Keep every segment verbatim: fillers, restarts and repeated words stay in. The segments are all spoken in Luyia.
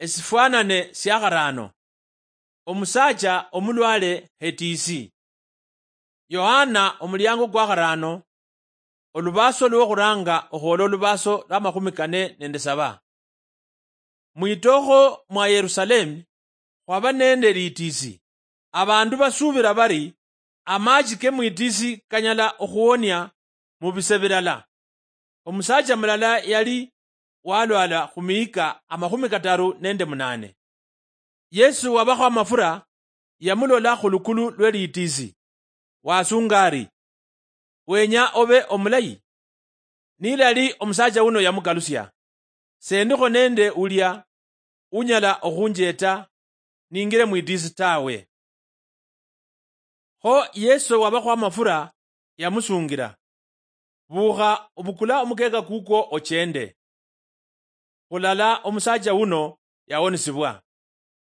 Esifwanane sia kharaano. Omusaacha omulwale hetiisi. Yohana omuliango kwa kharaano, olubaaso lwokhuraanga okhwola olubaaso lwa makhumi kane nende saba. Mwitookho mwa Yerusalemu khwaba nende litiisi. Abandu basuubira bari amaachi ke mwitiisi kanyala okhuwonia mu bise bilala. Omusaacha mulala yali walwala khu mihika amakhumi kataru nende munaane. Yesu wabakho amafura yamulola khu lukulu lwe litiisi, wasunga ari, "Wenya obe omulayi?" Nilali omusaacha wuno yamukalusia, "Sendikho nende ulia unyala okhunjeeta ningire mwitiisi tawe." Kho Yesu wabakho amafura yamusungira, "Bukha obukula omukeeka kukwo ochende." Khulala omusaacha wuno yawonisibwa.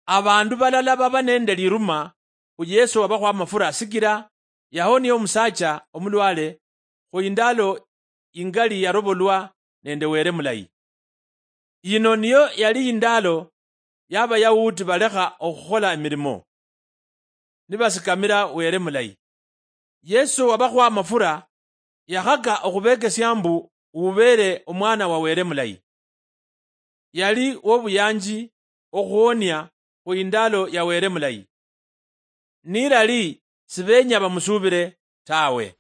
Abandu balala baba nende liruma khu Yesu wabakho amafura sikila yahonia omusaacha omulwale khu indalo ingali yarobolwa nende Wele Mulayi. Yino niyo yali indaalo y'Abayahudi balekha okhukhola emirimo, nibasikamira Wele Mulayi. Yesu wabakhwa amafura yakhaka okhubekesia mbu wubeele Omwana wa Wele Mulayi. Yali wobuyanji okhuwonia khu indaalo ya Wele Mulayi. Nilali sibenya bamusuubile tawe.